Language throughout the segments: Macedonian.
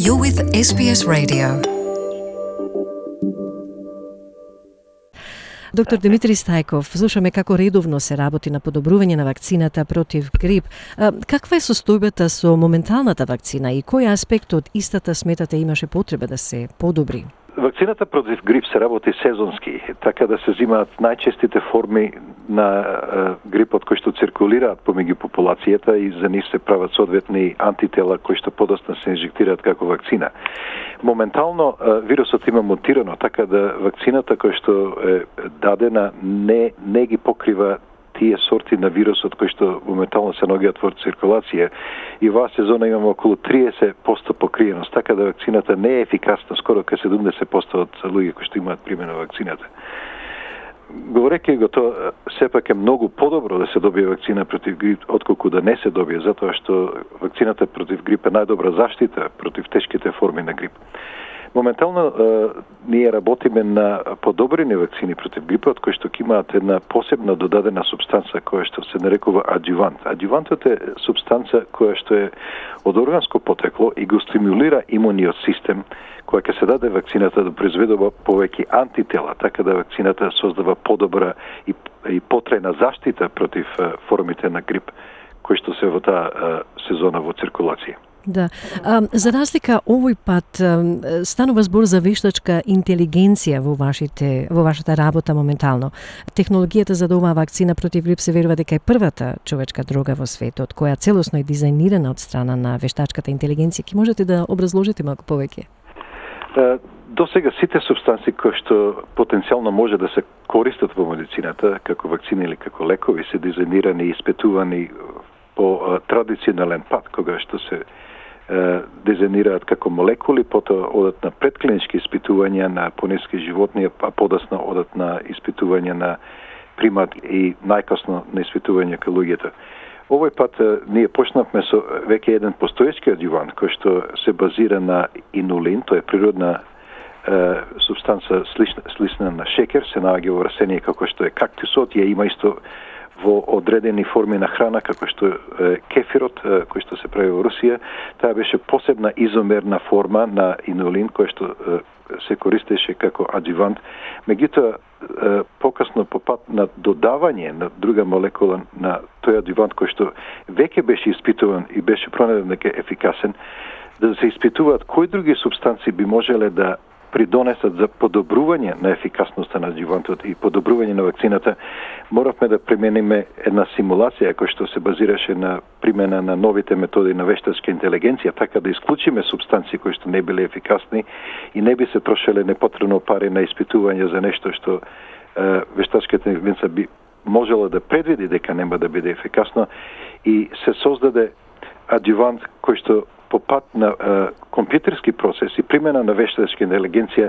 You're with SBS Radio. Доктор Димитри Стајков, слушаме како редовно се работи на подобрување на вакцината против грип. Каква е состојбата со моменталната вакцина и кој аспект од истата сметате имаше потреба да се подобри? Вакцината против грип се работи сезонски, така да се взимаат најчестите форми на грипот кои што циркулираат помеѓу популацијата и за нив се прават соодветни антитела кои што подоцна се инжектираат како вакцина. Моментално вирусот има мутирано, така да вакцината која што е дадена не ги покрива тие сорти на вирусот кои што моментално се наоѓаат во циркулација и оваа сезона имаме околу 30% покриеност, така да вакцината не е ефикасна, скоро кај 70% од луѓе кои што имаат примена вакцината. Говорејќи го тоа, сепак е многу подобро да се добие вакцина против грип отколку да не се добие, затоа што вакцината против грип е најдобра заштита против тешките форми на грип. Моментално ние работиме на подобрени вакцини против грипот кои што имаат една посебна додадена субстанца која што се нарекува аџувант. Аџувантот е субстанца која што е од органско потекло и го стимулира имуниот систем која ќе се даде вакцината да произведува повеќе антитела, така да вакцината создава подобра и потрајна заштита против формите на грип кои што се во таа сезона во циркулација. Да. За разлика овој пат станува збор за вештачка интелигенција во вашата работа моментално. Технологијата за оваа вакцина против грип се верува дека е првата човечка дрога во светот која целосно е дизајнирана од страна на вештачката интелигенција. Ки можете да образложите малку повеќе? До сега сите субстанции кои што потенцијално може да се користат во медицината, како вакцини или како лекови, се дизајнирани и испитувани по традиционален пат, кога што се дизајнираат како молекули, потоа одат на предклинички испитувања на понески животни, а подоцна одат на испитувања на примат и најкасно на испитување кај луѓето. Овој пат ние почнавме со веќе еден постоечки аџувант кој што се базира на инулин, тоа е природна субстанца слична на шекер, се наоѓа во растение како што е кактусот, ја има исто во одредени форми на храна, како што е кефирот, кој што се прави во Русија. Таа беше посебна изомерна форма на инулин, кој што се користеше како аџувант. Меѓутоа, покасно по пат на додавање на друга молекула на тој аџувант кој што веќе беше испитуван и беше пронајден дека е ефикасен, да се испитуваат кои други субстанции би можеле да придонесат за подобрување на ефикасноста на аџувантот и подобрување на вакцината, моравме да примениме една симулација која што се базираше на примена на новите методи на вештачка интелигенција, така да исклучиме субстанции кои што не биле ефикасни и не би се трошеле непотребно пари на испитување за нешто што вештачката интелигенција би можела да предвиди дека нема да биде ефикасно и се создаде аџувант кој што по пат на компјутерски процес и примена на вештачка интелигенција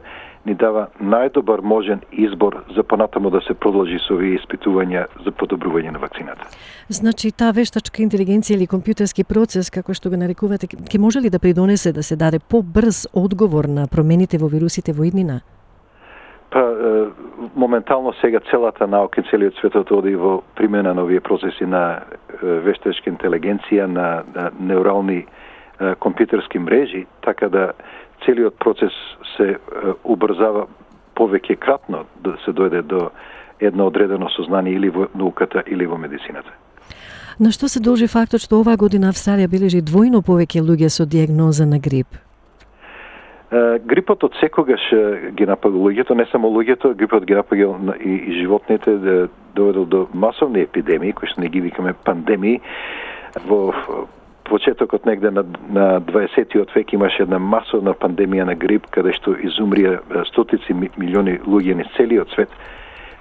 ни дава најдобар можен избор за понатаму да се продолжи со овие испитувања за подобрување на вакцината. Значи, таа вештачка интелигенција или компјутерски процес, како што го нарекувате, ќе може ли да придонесе да се даде побрз одговор на промените во вирусите во иднина? Моментално сега целата наука и целиот светот оди во примена на овие процеси на вештачка интелигенција, на неурални компјутерски мрежи, така да целиот процес се убрзава повеќе кратно да се дојде до едно одредено сознание или во науката или во медицината. На што се должи фактот што оваа година Австралија бележи двојно повеќе луѓе со дијагноза на грип? Грипот од секогаш ги напага луѓето, не само луѓето, грипот ги напага и животните, доведол до масовни епидемии, кои што не ги викаме пандемии. Во почетокот негде на 20-тиот век имаше една масовна пандемија на грип, каде што изумрија стотици милиони луѓе низ целиот свет.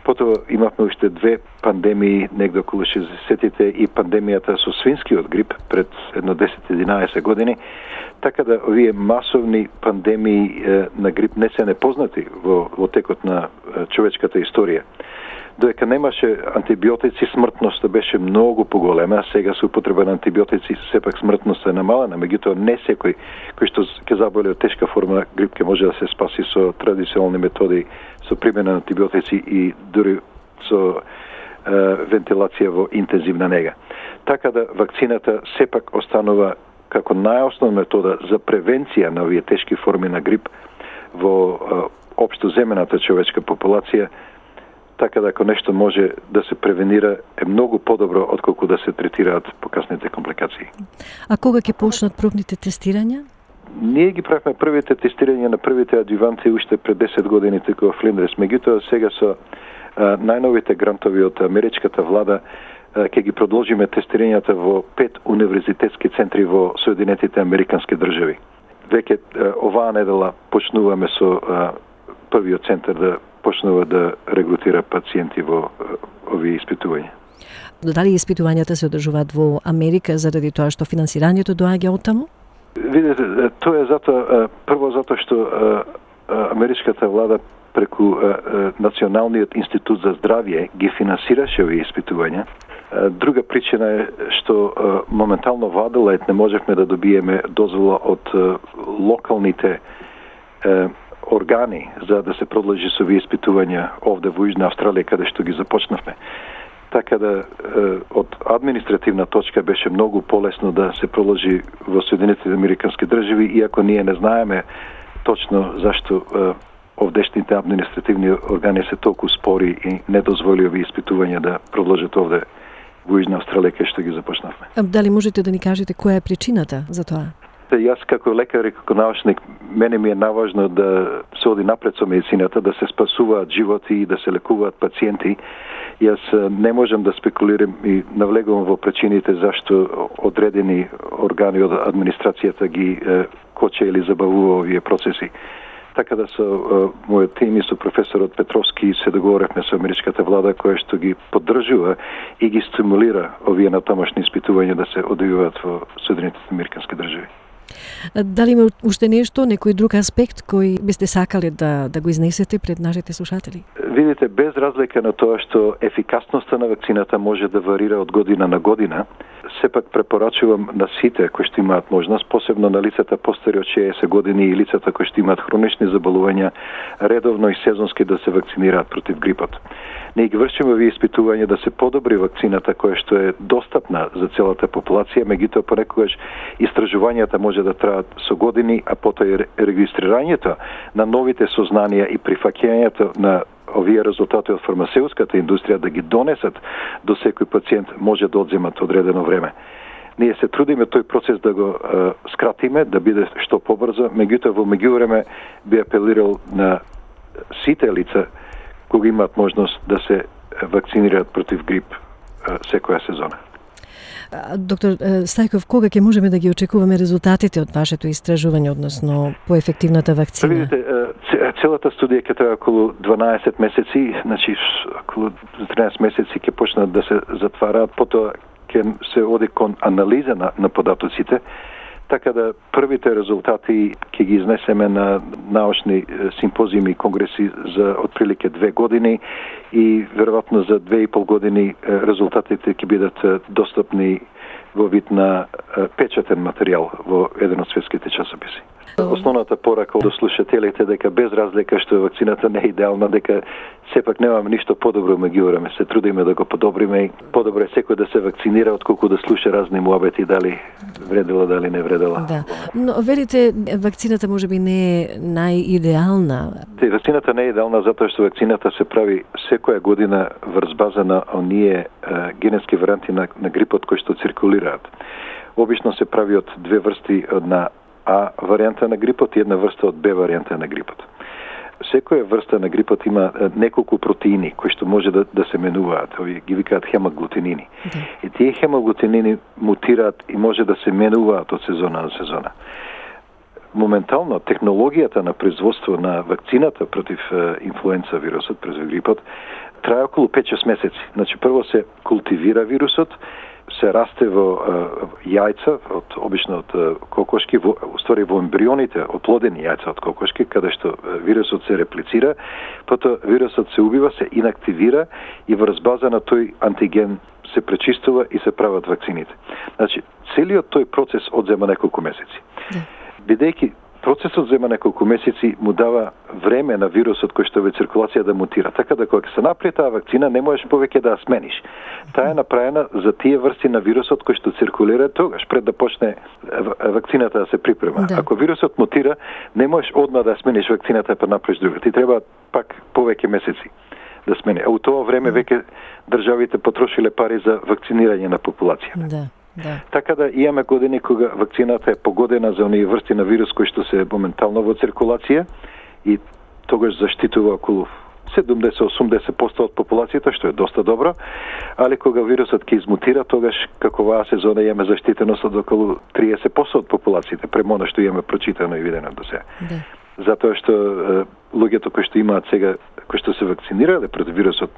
Потоа имавме уште две пандемии негде околу 60-тите и пандемијата со свинскиот грип пред едно 10-11 години. Така да овие масовни пандемии на грип не се непознати во текот на човечката историја. Додека немаше антибиотици, смртноста беше многу поголема. Сега со употреба на антибиотици сепак смртноста е намалена, меѓутоа не секој кој што ќе заболе од тешка форма грип ќе може да се спаси со традиционални методи, со примена на антибиотици и дури со вентилација во интензивна нега. Така да вакцината сепак останува како најосновна метода за превенција на овие тешки форми на грип во општо земената човечка популација, така да ако нешто може да се превенира е многу подобро отколку да се третираат покасните компликации. А кога ќе почнат пробните тестирања? Ние ги правихме првите тестирања на првите адјуванти уште пред 10 години тука во Флиндрес. Меѓутоа сега со најновите грантови од америчката влада ќе ги продолжиме тестирањата во 5 универзитетски центри во Соединетите американски држави. Веќе оваа недела почнуваме со првиот центар да почнува да регрутира пациенти во овие испитувања. Дали испитувањата се одржуваат во Америка заради тоа што финансирањето доаѓа оттаму? Видете, тоа е прво затоа што америчката влада преку Националниот институт за здравје ги финансираше овие испитувања. Друга причина е што моментално во Аделаид не можевме да добиеме дозвола од локалните органи за да се продолжи со овие испитувања овде во Јужна Австралија каде што ги започнавме. Така да од административна точка беше многу полесно да се продолжи во Соединетите американски држави, иако ние не знаеме точно зашто овдешните административни органи се толку спори и не дозволи овие испитувања да продолжат овде во Јужна Австралија каде што ги започнавме. Дали можете да ни кажете која е причината за тоа? Јас како лекар и како научник, мене ми е наважно да се оди напред со медицината, да се спасуваат животи и да се лекуваат пациенти. Јас не можам да спекулирам и навлегувам во причините зашто одредени органи од администрацијата ги коче или забавува овие процеси. Така да со мојот тим и со професорот Петровски се договоревме со америчката влада која што ги поддржува и ги стимулира овие натамошни испитувања да се одвиваат во Соединетите американски држави. Дали има уште нешто, некој друг аспект кој бисте сакале да го изнесете пред нашите слушатели? Видите, без разлика на тоа што ефикасноста на вакцината може да варира од година на година, сепак препорачувам на сите кои што имаат можност, посебно на лицата постари од 60 години и лицата кои што имаат хронични заболувања, редовно и сезонски да се вакцинираат против грипот. Ние ги вршиме овие испитувања да се подобри вакцината која што е достапна за целата популација, меѓутоа понекогаш истражувањата може да траат со години, а потоа и регистрирањето на новите сознанија и прифаќањето на овие резултати од фармацеутската индустрија да ги донесат до секој пациент може да одземат одредено време. Ние се трудиме тој процес да го скратиме, да биде што побрзо, меѓутоа во меѓувреме би апелирал на сите лица кога имаат можност да се вакцинираат против грип секоја сезона. Доктор Стајков, кога ќе можеме да ги очекуваме резултатите од вашето истражување, односно по ефективната вакцина? Видите, целата студија ќе трае околу 12 месеци, значи околу 13 месеци ќе почнат да се затвараат, потоа ќе се оди кон анализа на податоците, така да првите резултати ќе ги изнесеме на научни симпозиуми и конгреси за отприлике 2 години и веројатно за 2,5 години резултатите ќе бидат достапни во вид на печатен материјал во еден од светските часописи. Основната порака до слушателите дека без разлика што вакцината не е идеална, дека сепак немаме ништо подобро меѓувреме, се трудиме да го подобриме и подобро е секој да се вакцинира отколку да слуша разни муабети дали вредела, дали не вредела. Да. Но велите вакцината можеби не е најидеална. Вакцината не е идеална затоа што вакцината се прави секоја година врз база на оние генетски варијанти на грипот кои што циркулираат. Обично се прави од две врсти на А варијанта на грипот и една врста од Б варијанта на грипот. Секоја врста на грипот има неколку протеини кои што може да се менуваат, овие ги викаат хемаглутинини. И тие хемаглутинини мутираат и може да се менуваат од сезона на сезона. Моментално технологијата на производство на вакцината против инфлуенца вирусот, против грипот, трае околу 5-6 месеци. Значи прво се култивира вирусот, се расте во јајца, обично од кокошки, во ембрионите, оплодени јајца од кокошки, каде што вирусот се реплицира, потоа вирусот се убива, се инактивира и врз база на тој антиген се пречистува и се прават вакцините. Значи, целиот тој процес одзема неколку месеци. Бидејќи процесот зема неколку месеци, му дава време на вирусот кој што е во циркулација да мутира. Така да кога се направи таа вакцина, не можеш повеќе да ја смениш. Таа е направена за тие врсти на вирусот кој што циркулира тогаш, пред да почне вакцината да се припрема. Да. Ако вирусот мутира, не можеш одма да смениш вакцината па направиш друга. Ти треба пак повеќе месеци да смени. А у тоа време веќе државите потрошиле пари за вакцинирање на популацијата. Да. Да. Така да имаме години кога вакцината е погодена за оние врсти на вирус кои што се моментално во циркулација и тогаш заштитува околу 70-80% од популацијата, што е доста добро, али кога вирусот ќе измутира, тогаш како оваа сезона имаме заштитеност од околу 30% од популацијата, према она што имаме прочитано и видено до сега. Да. Затоа што луѓето кои што имаат сега, кои што се вакцинирале против вирусот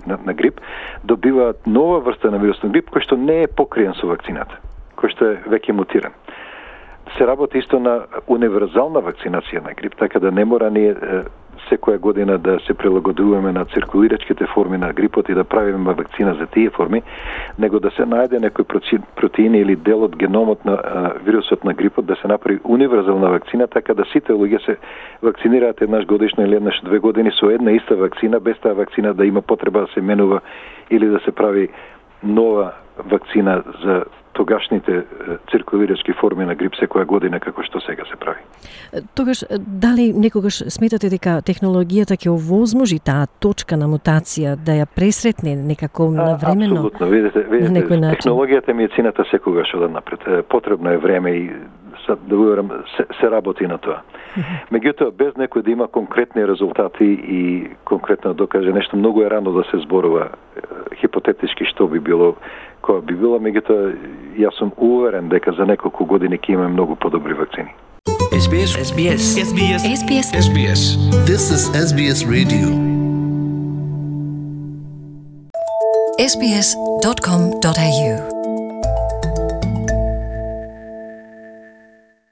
на грип, добиваат нова врста на вирус на грип кој што не е покриен со вакцината, кој што е веќе мутиран. Се работи исто на универзална вакцинација на грип, така да не мора ние секоја година да се прилагодуваме на циркулирачките форми на грипот и да правиме вакцина за тие форми, него да се најде некој протеини или дел од геномот на вирусот на грипот, да се направи универзална вакцина, така да сите луѓе се вакцинираат еднаш годишно или еднаш 2 години со една иста вакцина, без таа вакцина да има потреба да се менува или да се прави нова вакцина за тогашните циркулирачки форми на грип секоја година како што сега се прави. Тогаш, дали некогаш сметате дека технологијата ќе овозможи таа точка на мутација да ја пресретне некако навремено? Апсолутно, видите, технологијата и медицината секогаш одат напред. Потребно е време и да уверам, се работи на тоа. Меѓутоа, без некој да има конкретни резултати и конкретно да докаже нешто, многу е рано да се зборува хипотетички што би било, која би било, меѓутоа јас сум уверен дека за неколку години ќе имаме многу подобри вакцини. SBS. This is SBS Radio. SBS.com.au